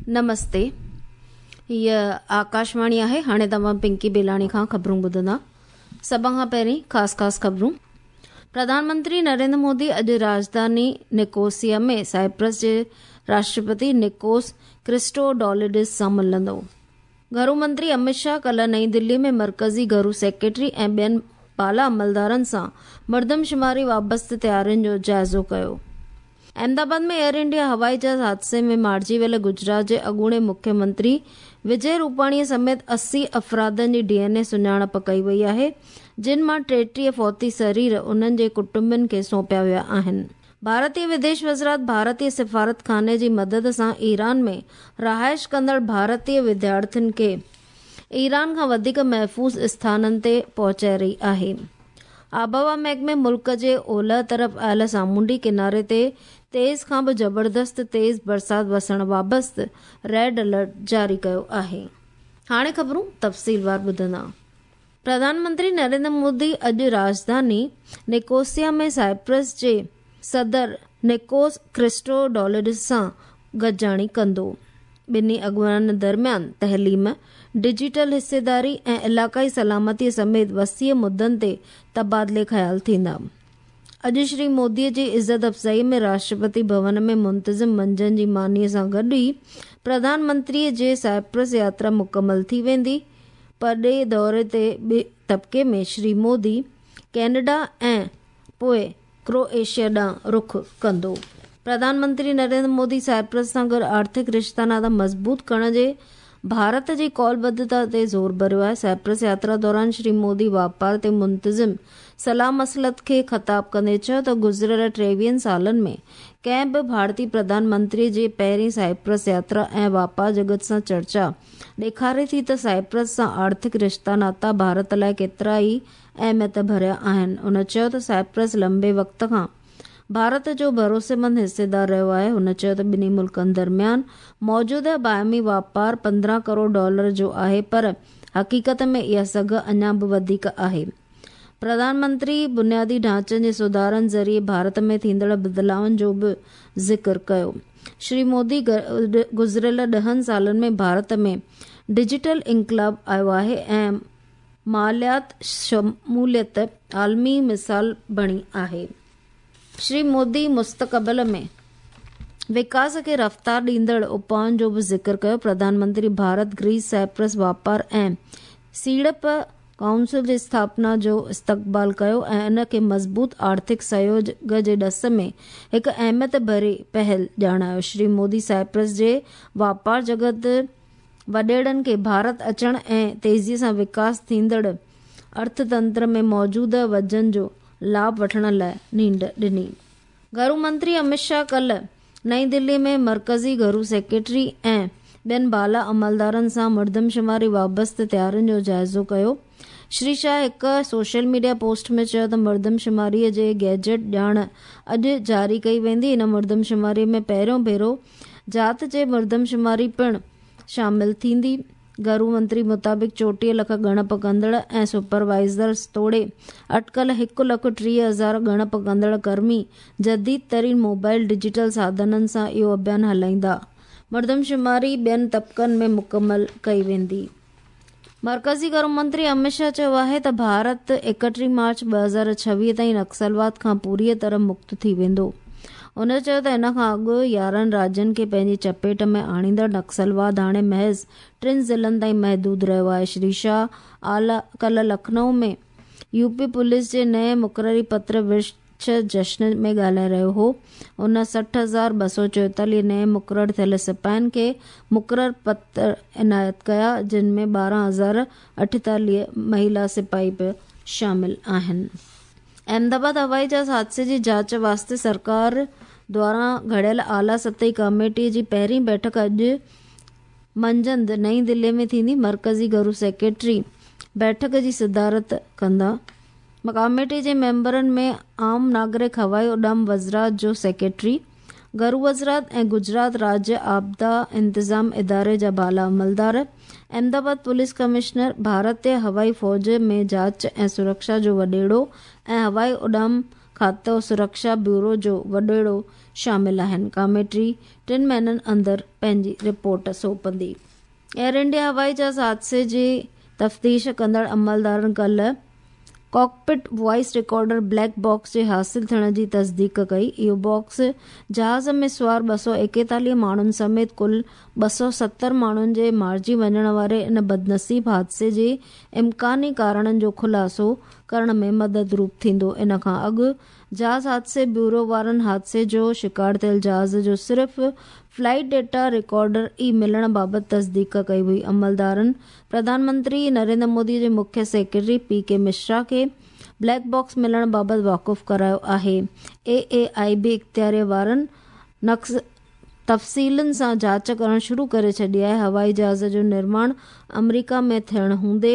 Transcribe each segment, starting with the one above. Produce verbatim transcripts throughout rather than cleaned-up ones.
नमस्ते, हीअ आकाशवाणी आहे। हाणे तव्हां पिंकी बेलाणी खां ख़बरूं ॿुधंदा। सभ खां पहिरीं ख़ासि ख़ासि ख़बरूं। प्रधानमंत्री नरेंद्र मोदी अॼु राजधानी निकोसिया में साइप्रस जे राष्ट्रपति निकोस क्रिस्टोडौलिडिस सां मिलंदो। घरू मंत्री अमित शाह कल्ह नई दिल्ली में मर्कज़ी घरू सेक्रेटरी ऐं ॿियनि बाला अमलदारनि सां मर्दमशुमारी वाबस्ते तयारियुनि जो जाइज़ो कयो। अहमदाबाद में एयर इंडिया हवाई जहाज़ हादसे में मारिजी वियल गुजरात जे अॻूणे मुख्यमंत्री विजय रूपाणीअ समेत अस्सी अफ़रादनि जी डी एन ए सुञाणप कई वई आहे, जिन मां टेटीह फौती शरीर उन्हनि जे कुटुंबनि खे सौंपिया विया आहिनि। भारतीय विदेश वज़ारत भारतीय सिफारत खाने जी मदद सां ईरान में रहाइश कंदड़ भारतीय विद्यार्थियुनि खे ईरान खां वधीक महफ़ूज़ स्थाननि ते पहुचाए रही आहे। आबहवा महकमे मुल्क जे ओलह तरफ़ आयल सामुंडी किनारे ते तेज़ खां बि ज़बरदस्त तेज़ बरसाति वसण वाबस्ते रेड अलर्ट जारी कयो आहे। हाणे ख़बरूं तफ़सीलवार ॿुधंदा। प्रधानमंत्री नरेंद्र मोदी अॼु राजधानी निकोसिया में साइप्रस जे सदर निकोस क्रिस्टोडौलिडिस सां गॾिजाणी कंदो। ॿिन्ही अॻुवाणनि दरमियान तइलीम, डिजिटल हिस्सेदारी ऐं इलाइक़ाई सलामतीअ समेत वसीअ मुद्दनि ते तबादिले ख़्याल थींदा। अॼु श्री मोदीअ जी इज़त अफ़ज़ाई में राष्ट्रपति भवन में मुंतज़िम मंझंदि जी मानीअ सां गॾु ई प्रधानमंत्रीअ जी साइप्रस यात्रा मुकमल थी वेंदी। परॾेही दौरे ते ॿिए तबिके में श्री मोदी कैनेडा ऐं पोइ क्रोएशिया ॾांहुं रुख कंदो। प्रधानमंत्री नरेंद्र मोदी साइप्रस सां गॾु आर्थिक रिश्ता नाता मज़बूत करण जे भारत जी कौलबद्धता ते ज़ोर भरियो आहे। साइप्रस यात्रा दौरान श्री मोदी वापार ते मुंतज़िम सलाह मसलत खे ख़िताब कंदे चयो त गुज़िरियल टेवीहनि सालनि में कंहिं बि भारतीय प्रधानमंत्री जी पहिरीं साइप्रस यात्रा ऐं वापार जगत सां चर्चा ॾेखारे थी त साइप्रस सां आर्थिक रिश्ता नाता भारत लाइ केतिरा ई अहमियत भरिया आहिनि। हुन चयो त साइप्रस लंबे वक़्त खां भारत जो भरोसेमंद हिस्सेदार रहियो आहे। हुन चयो त ॿिन्ही मुल्कनि दरमियान मौजूदा बाहमी वापार पंद्रहं करोड़ डॉलर जो आहे, पर हक़ीक़त में इहा सघ अञा बि वधीक आहे। प्रधानमंत्री बुनियादी ढांचनि जे सुधारनि ज़रिए भारत में थींदड़ बदिलाउनि जो बि ज़िक्र कयो। श्री मोदी गुज़िरियल ॾहनि सालनि में भारत में डिजिटल इंक़लाब आयो आहे ऐं मालियात शमूलियत आलमी मिसाल बणी आहे। श्री मोदी मुस्तक़बिल में विकास खे रफ़्तार ॾींदड़ उपाउनि जो बि ज़िक्र कयो। प्रधानमंत्री भारत ग्रीस साइप्रस वापार ऐं सीड़प काउंसिल जी स्थापना जो इस्तक़बाल कयो ऐं इन खे मज़बूत आर्थिक सहयोग जे ॾस में हिकु अहमियत भरी पहल ॼाणायो। श्री मोदी साइप्रस जे वापार जगत वॾेड़नि खे भारत अचण ऐं तेज़ीअ सां विकास थींदड़ अर्थतंत्र में मौजूदा वजन जो लाभ वठण लाइ नींड ॾिनी। घरू मंत्री अमित शाह कल्ह नई दिल्ली में मर्कज़ी घरू सेक्रेटरी ऐं ॿियनि बाला अमलदारनि सां मर्दमशुमारी वाबस्ते तयारियुनि जो जाइज़ो कयो। श्री शाह हिकु सोशल मीडिया पोस्ट में चयो त मर्दमशुमारीअ जे गैजेट ॼाण अॼु जारी कई वेंदी। हिन मर्दमशुमारी में पहिरियों भेरो जात जे मर्दमशुमारी पिणु शामिल थींदी। घरू मंत्री मुताबिक़ चोटीह लख ॻणप कंदड़ ऐं सुपरवाइज़र्स तोड़े अटकल हिकु लख टीह हज़ार ॻणप कंदड़ कर्मी जदीद तरीन मोबाइल डिजिटल साधननि सां इहो अभियान हलाईंदा। मर्दमशुमारी ॿियनि तबिकनि में मुकमल कई वेंदी। मर्कज़ी घरू मंत्री अमित शाह चयो आहे त भारत एकटीह मार्च ॿ हज़ार छवीह ताईं नक्सलवाद खां पूरीअ तरह मुक्त थी वेंदो। हुन चयो त इन खां अॻु यारहं राज्यनि खे पंहिंजी चपेट में आणींदड़ नक्सलवाद हाणे महज़ टिनि ज़िलनि ताईं महदूद रहियो आहे। श्री शाह आला कल्ह लखनऊ में यूपी पुलिस जे नए मुक़ररी पत्र विर्छ जश्न में ॻाल्हाए रहियो हो। हुन सठि हज़ार ॿ सौ चोएतालीह नए मुक़ररु थियल सिपाहियुनि खे मुक़ररु पत्र इनायत कया, जिन में ॿारहं हज़ार अठेतालीह महिला सिपाही बि शामिल आहिनि। अहमदाबाद हवाई जहाज़ हादसे जी जांच वास्ते सरकार द्वारा घड़ियल आला सतही कमेटी जी पहिरीं बैठक अॼु मंझंदि नई दिल्ली में थींदी। मर्कज़ी घरू सेक्रेटरी बैठक जी सदारत कंदा। कमेटी जे मेंबरनि में आम नागरिक हवाई उॾाम वज़ारत जो सेक्रेटरी, घरू वज़ारत ऐं गुजरात राज्य आपदा इंतज़ाम इदारे जा बाला अमलदार, अहमदाबाद पुलिस कमिश्नर, भारतीय हवाई फ़ौज में जांच ऐं सुरक्षा जो वॾेड़ो ऐं हवाई उॾाम खातो सुरक्षा ब्यूरो जो वॾेड़ो शामिल आहिनि। कमेटी ٽن महीननि अंदरि पंहिंजी रिपोर्ट सौंपंदी। एयर इंडिया हवाई जहाज़ हादसे जी तफ़्तीश कंदड़ अमलदारनि कल्ह cockpit voice recorder black box जे हासिल थियण जी तस्दीक कई। इहो बॉक्स जहाज़ में सवार ॿ सौ एकेतालीह माण्हुनि समेत कुल ॿ सौ सतरि माण्हुनि जे मारिजी वञण वारे इन बदनसीब हादसे जे इम्कानी कारणनि जो ख़ुलासो करण में मदद रूप थींदो। इन खां अॻु जहाज़ हादसे ब्यूरो वारनि हादसे जो शिकार थियल जहाज़ जो सिर्फ़ फ्लाइट डेटा रिकॉर्डर ई मिलण बाबति तस्दीक कई हुई। अमलदारनि प्रधानमंत्री नरेंद्र मोदी जे मुख्य सेक्रेटरी पी के मिश्रा खे ब्लैक बॉक्स मिलण बाबति वाक़ुफ़ करायो आहे। ए ए I बि इख़्तियार वारनि नक़्स तफ़सीलनि सां जांच करणु शुरू करे छॾी आहे। हवाई जहाज़ जो निर्माण अमरीका में थियण हूंदे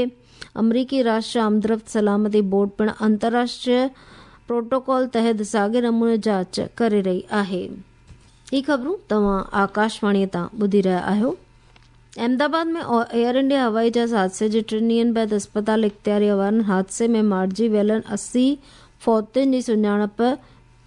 अमरीकी राष्ट्रीय आमदरफ़्त सलामती बोर्ड पिणु अंतर्राष्ट्रीय प्रोटोकॉल तहत साॻे नमूने जांच करे रही आहे। ही ख़बरूं तव्हां आकाशवाणीअ तां ॿुधी रहिया आहियो। अहमदाबाद में एयर इंडिया हवाई जहाज़ हादसे जे टिनि ॾींहनि बाद अस्पताल इख़्तियारी वारनि हादसे में मारिजी वियलनि असी फौतियुनि जी सुञाणप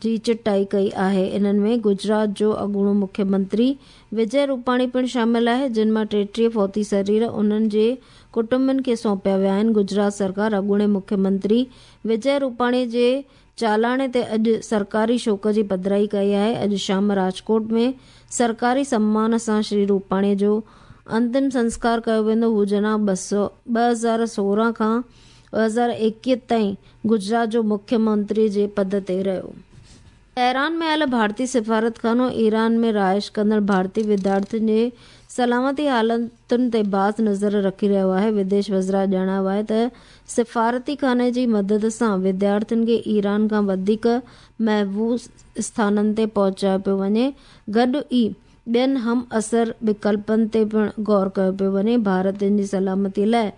जी चिटाई कई आहे। इन्हनि में गुजरात जो अॻूणो मुख्यमंत्री विजय रूपाणी पिणु शामिल आहे, जिन मां टेटीह फौती शरीर उन्हनि जे कुटुंबनि खे सौंपिया विया आहिनि। गुजरात सरकार अॻूणे मुख्यमंत्री विजय रूपाणी जे चालाणे ते अॼु सरकारी शोक जी पधराई कई आहे। अॼु शाम राजकोट में सरकारी सम्मान सां श्री रूपाणी जो अंतिम संस्कार कयो वेंदो। हू जनाब ॿ सौ ॿ हज़ार सोरहं खां ॿ हज़ार एकवीह ताईं गुजरात जो मुख्यमंत्री जे पद ते रहियो। तेहरान में आयल भारतीय सिफारतखानो ईरान में रहाइश कंदड़ भारतीय विद्यार्थियुनि जे सलामती हालतुनि ते बाज़ नज़र रखी रहियो आहे। विदेश वज़ारत ॼाणायो आहे त सिफारती खाने जी मदद सां विद्यार्थियुनि खे ईरान खां वधीक महफ़ूज़ स्थाननि ते पहुचायो पियो वञे, गॾु ई ॿियनि हम असर विकल्पनि ते पिणु गौर कयो पियो वञे। भारतीयनि जी सलामती लाइ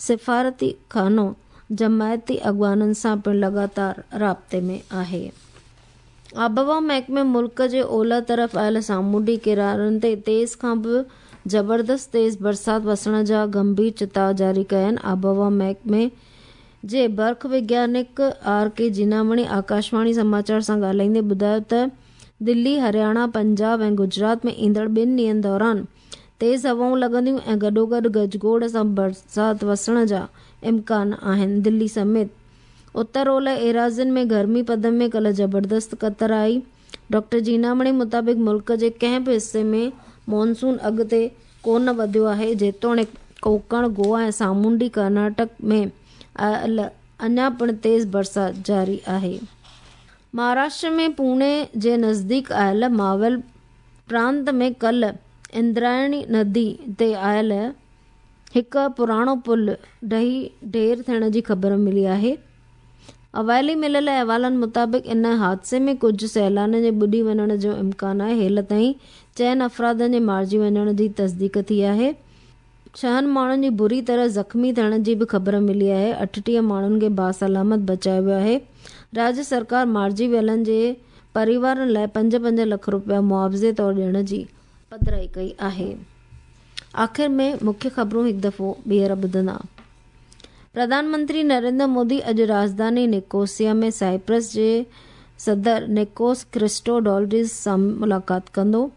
सिफारती खानो जमायती अॻवाननि सां पिणु लगातार राब्ते में आहे। आबहवा महकमे मुल्क जे ओलह तरफ़ आयल सामुंडी किनारनि ते तेज़ खां बि ज़बरदस्त तेज़ बरसात वसण जा गंभीर चिताव जारी कया आहिनि। आबहवा महकमे जे बर्फ़ वैज्ञानिक are के जीनामणी आकाशवाणी समाचार सां ॻाल्हाईंदे ॿुधायो त दिल्ली, हरियाणा, पंजाब ऐं गुजरात में ईंदड़ ॿिनि ॾींहंनि दौरान तेज़ हवाऊं लॻंदियूं ऐं गॾोगॾु गजगोड़ सां बरसात वसण जा इम्कान आहिनि। दिल्ली समेत उत्तर ओलह एराज़ियुनि में गर्मी पद में कल्ह ज़बरदस्त कतर आई। डॉक्टर जीनामणी मुताबिक़ मुल्क जे कंहिं बि हिसे में मॉनसून अॻिते कोन वधियो आहे, जेतोणीकि कोंकण, गोवा ऐं सामुंडी कर्नाटक में अञा पिणु तेज़ बरसात जारी आहे। महाराष्ट्र में पुणे जे नज़दीक आयल मावल प्रांत में कल्ह इंद्रायणी नदी ते आयल हिकु पुराणो पुल ढही ढेर थियण जी ख़बर मिली आहे। अवाइली मिलियल अहवालनि मुताबिक़ इन हादसे में कुझु सैलानियुनि जे ॿुॾी वञण जो इम्कान आहे। हेल ताईं चइनि अफ़रादनि जे मारिजी वञण जी तस्दीक थी आहे। छहनि माण्हुनि जी बुरी तरह ज़ख़्मी थियण जी बि ख़बर मिली आहे। अठटीह माण्हुनि खे बासलामत बचायो वियो आहे। राज्य सरकार मारिजी वियलनि जे परिवारनि लाइ पंज पंज लख रुपया मुआवज़े तौर ॾियण जी पधराई कई आहे। आख़िर में मुख्य ख़बरूं हिकु दफ़ो ॿीहर ॿुधंदा। प्रधानमंत्री नरेंद्र मोदी अॼु राजधानी निकोसिया में साइप्रस जे सदर निकोस क्रिस्टोडौलिड्स सां मुलाक़ात कंदो।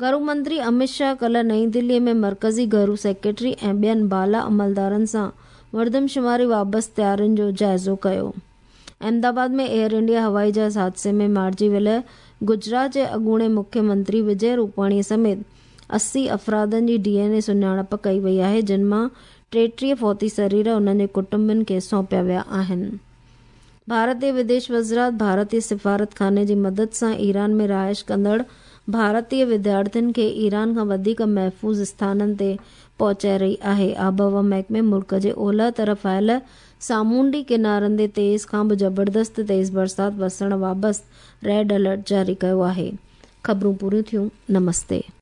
घरू मंत्री अमित शाह कल्ह नई दिल्लीअ में मर्कज़ी घरू सेक्रेटरी ऐं ॿियनि बाला अमलदारनि सां मर्दमशुमारी बाबति तयारियुनि जो जाइज़ो कयो। अहमदाबाद में एयर इंडिया हवाई जहाज़ हादसे में मारिजी वियल गुजरात जे अॻूणे मुख्यमंत्री विजय रूपाणी समेत असी अफ़रादनि जी डी एन ए सुञाणप कई वई आहे, जिन मां टेटीह फौती शरीर उन्हनि जे कुटुंबनि खे सौंपिया विया आहिनि। भारतीय विदेश वज़ारत भारतीय सिफारत खाने जी मदद सां ईरान में रहाइश कंदड़ भारतीय विद्यार्थियुनि खे ईरान खां वधीक महफ़ूज़ स्थाननि ते पहुचाए रही आहे। आबहवा महकमे मुल्क जे ओलह तरफ़ आयल सामुंडी किनारनि ते तेज़ खां बि ज़बरदस्त तेज़ बरसात वसण बाबति रेड अलर्ट जारी कयो आहे। ख़बरूं पूरियूं थियूं। नमस्ते।